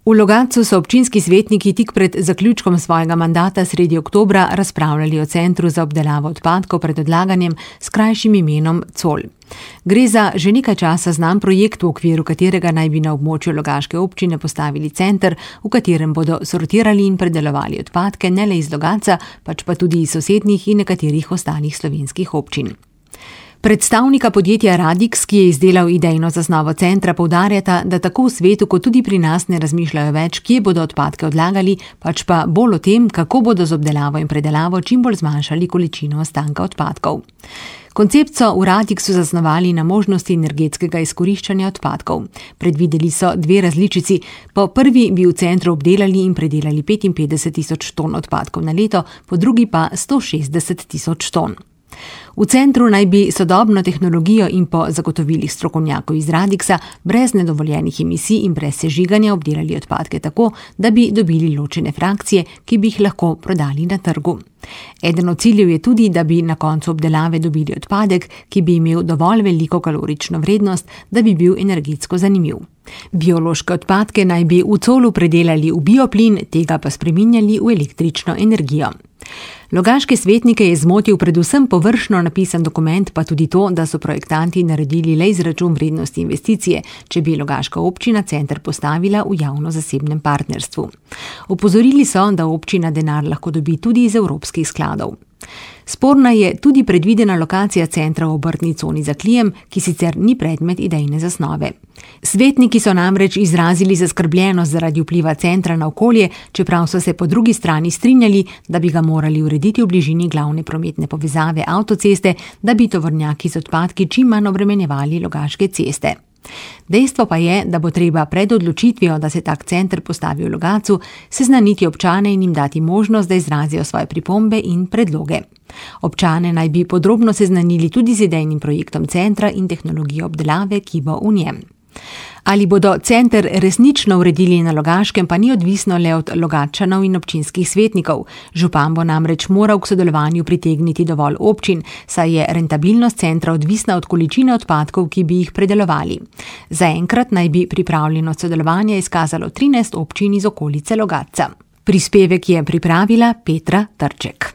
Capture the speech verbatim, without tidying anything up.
V Logatcu so občinski svetniki tik pred zaključkom svojega mandata sredi oktobra razpravljali o centru za obdelavo odpadkov pred odlaganjem s krajšim imenom Col. Gre za že nekaj časa znan projekt, v okviru katerega naj bi na območju Logaške občine postavili center, v katerem bodo sortirali in predelovali odpadke ne le iz Logatca, pač pa tudi iz sosednjih in nekaterih ostalih slovenskih občin. Predstavnika podjetja Radix, ki je izdelal idejno zasnovo centra, poudarjata, da tako v svetu kot tudi pri nas ne razmišljajo več, kje bodo odpadke odlagali, pač pa bolj o tem, kako bodo z obdelavo in predelavo čim bolj zmanjšali količino ostanka odpadkov. Koncept so v Radixu zasnovali na možnosti energetskega izkoriščanja odpadkov. Predvideli so dve različici. Po prvi bi v centru obdelali in predelali petinpetdeset tisoč ton odpadkov na leto, po drugi pa sto šestdeset tisoč ton. V centru naj bi sodobno tehnologijo in po zagotovilih strokovnjakov iz Radixa brez nedovoljenih emisij in brez sežiganja obdelali odpadke tako, da bi dobili ločene frakcije, ki bi jih lahko prodali na trgu. Eden od ciljev je tudi, da bi na koncu obdelave dobili odpadek, ki bi imel dovolj veliko kalorično vrednost, da bi bil energetsko zanimiv. Biološke odpadke naj bi v Colu predelali v bioplin, tega pa spreminjali v električno energijo. Logaške svetnike je zmotil predvsem površno napisan dokument, pa tudi to, da so projektanti naredili le izračun vrednosti investicije, če bi Logaška občina center postavila v javno-zasebnem partnerstvu. Opozorili so, da občina denar lahko dobi tudi iz evropskih skladov. Sporna je tudi predvidena lokacija centra v obrtni coni za Klijem, ki sicer ni predmet idejne zasnove. Svetniki so namreč izrazili zaskrbljenost zaradi vpliva centra na okolje, čeprav so se po drugi strani strinjali, da bi ga morali urediti v bližini glavne prometne povezave avtoceste, da bi tovornjaki z odpadki čim manj obremenjevali Logaške ceste. Dejstvo pa je, da bo treba pred odločitvijo, da se tak center postavi v Logatcu, seznaniti občane in jim dati možnost, da izrazijo svoje pripombe in predloge. Občane naj bi podrobno seznanili tudi z idejnim projektom centra in tehnologijo obdelave, ki bo v njem. Ali bodo center resnično uredili na Logaškem, pa ni odvisno le od Logatčanov in občinskih svetnikov. Župan bo namreč moral k sodelovanju pritegniti dovolj občin, saj je rentabilnost centra odvisna od količine odpadkov, ki bi jih predelovali. Zaenkrat naj bi pripravljenost sodelovanja izkazalo trinajst občin iz okolice Logatca. Prispevek je pripravila Petra Trček.